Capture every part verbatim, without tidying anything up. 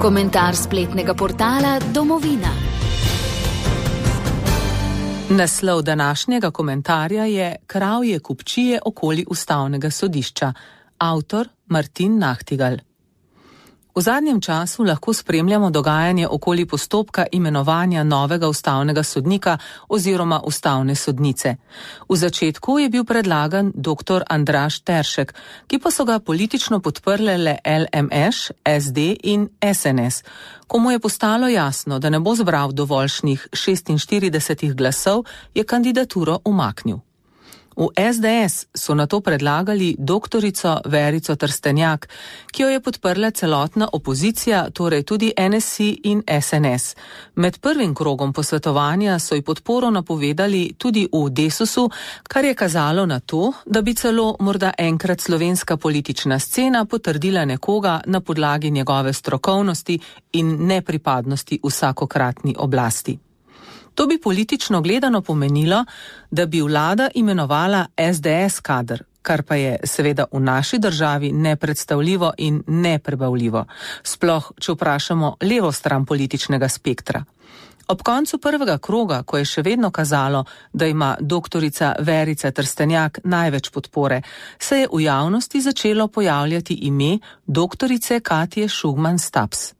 Komentar spletnega portala Domovina. Naslov današnjega komentarja je Kravje kupčije okoli ustavnega sodišča. Avtor Martin Nahtigal. V zadnjem času lahko spremljamo dogajanje okoli postopka imenovanja novega ustavnega sodnika oziroma ustavne sodnice. V začetku je bil predlagan dr. Andraž Teršek, ki pa so ga politično podprle le L M Š, S D in S N S. Ko mu je postalo jasno, da ne bo zbral dovoljšnih šestinštiridesetih glasov, je kandidaturo umaknil. V S D S so nato predlagali doktorico Verico Trstenjak, ki jo je podprla celotna opozicija, torej tudi N S I in S N S. Med prvim krogom posvetovanja so ji podporo napovedali tudi v Desusu, kar je kazalo na to, da bi celo morda enkrat slovenska politična scena potrdila nekoga na podlagi njegove strokovnosti in nepripadnosti vsakokratni oblasti. To bi politično gledano pomenilo, da bi vlada imenovala S D S kader, kar pa je seveda v naši državi nepredstavljivo in neprebavljivo, sploh če vprašamo levo stran političnega spektra. Ob koncu prvega kroga, ko je še vedno kazalo, da ima doktorica Verica Trstenjak največ podpore, se je v javnosti začelo pojavljati ime doktorice Katje Šugman Stubbs.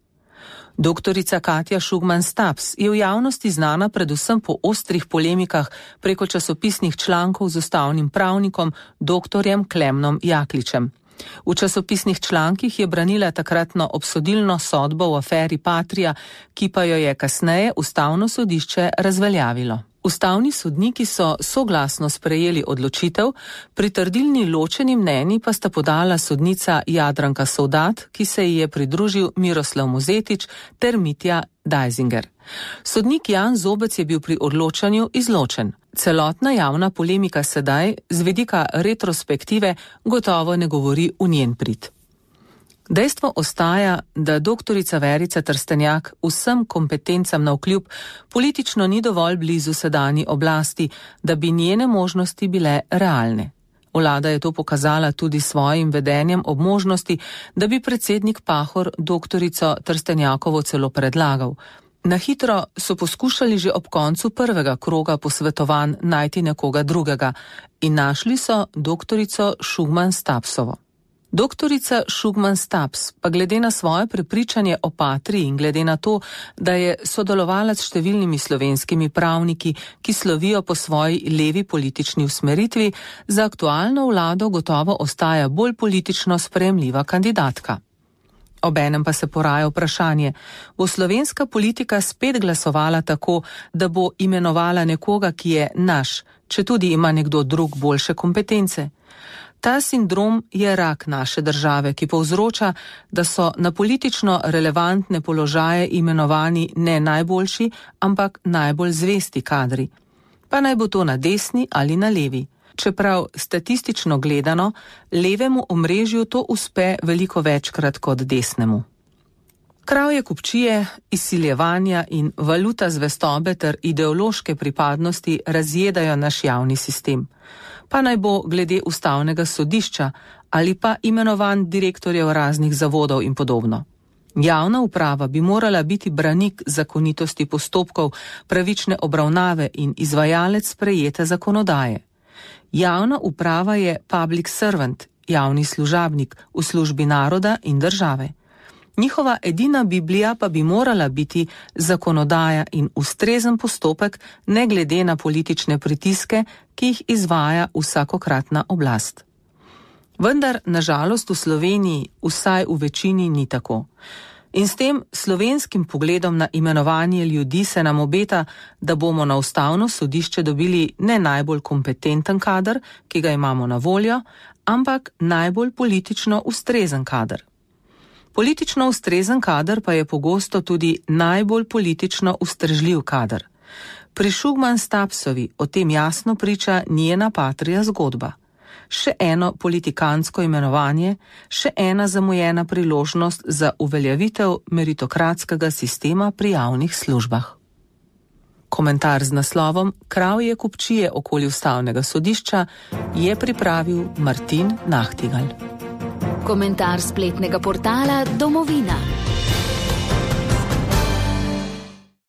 Doktorica Katja Šugman Stubbs je v javnosti znana predvsem po ostrih polemikah preko časopisnih člankov z ustavnim pravnikom doktorjem Klemnom Jakličem. V časopisnih člankih je branila takratno obsodilno sodbo v aferi Patria, ki pa jo je kasneje ustavno sodišče razveljavilo. Ustavni sodniki so soglasno sprejeli odločitev, pritrdilni ločeni mnenji pa sta podala sodnica Jadranka Sovdat, ki se ji je pridružil Miroslav Mozetič ter Mitja Dajzinger. Sodnik Jan Zobec je bil pri odločanju izločen. Celotna javna polemika sedaj, z vidika retrospektive, gotovo ne govori v njen prid. Dejstvo ostaja, da doktorica Verica Trstenjak vsem kompetencam navkljub politično ni dovolj blizu sedanji oblasti, da bi njene možnosti bile realne. Vlada je to pokazala tudi svojim vedenjem ob možnosti, da bi predsednik Pahor doktorico Trstenjakovo celo predlagal. Na hitro so poskušali že ob koncu prvega kroga posvetovanj najti nekoga drugega in našli so doktorico Šugman Stubbsovo. Doktorica Šugman Stubbs pa glede na svoje prepričanje o Patriji in glede na to, da je sodelovala s številnimi slovenskimi pravniki, ki slovijo po svoji levi politični usmeritvi, za aktualno vlado gotovo ostaja bolj politično sprejemljiva kandidatka. Obenem pa se poraja vprašanje, bo slovenska politika spet glasovala tako, da bo imenovala nekoga, ki je naš, če tudi ima nekdo drug boljše kompetence. Ta sindrom je rak naše države, ki povzroča, da so na politično relevantne položaje imenovani ne najboljši, ampak najbolj zvesti kadri. Pa naj bo to na desni ali na levi. Čeprav statistično gledano, levemu omrežju to uspe veliko večkrat kot desnemu. Kravje kupčije, izsiljevanja in valuta zvestobe ter ideološke pripadnosti razjedajo naš javni sistem. Pa naj bo glede ustavnega sodišča ali pa imenovan direktorjev raznih zavodov in podobno. Javna uprava bi morala biti branik zakonitosti postopkov, pravične obravnave in izvajalec sprejete zakonodaje. Javna uprava je public servant, javni služabnik v službi naroda in države. Njihova edina biblija pa bi morala biti zakonodaja in ustrezen postopek, ne glede na politične pritiske, ki jih izvaja vsakokratna oblast. Vendar, nažalost, v Sloveniji vsaj v večini ni tako. In s tem slovenskim pogledom na imenovanje ljudi se nam obeta, da bomo na ustavno sodišče dobili ne najbolj kompetenten kader, ki ga imamo na voljo, ampak najbolj politično ustrezen kader. Politično ustrezen kader pa je pogosto tudi najbolj politično ustrežljiv kader. Pri Šugman Stubbsovi o tem jasno priča njena Patrija zgodba. Še eno politikansko imenovanje, še ena zamujena priložnost za uveljavitev meritokratskega sistema pri javnih službah. Komentar z naslovom Kravje kupčije okoli ustavnega sodišča je pripravil Martin Nahtigal. Komentar spletnega portala Domovina.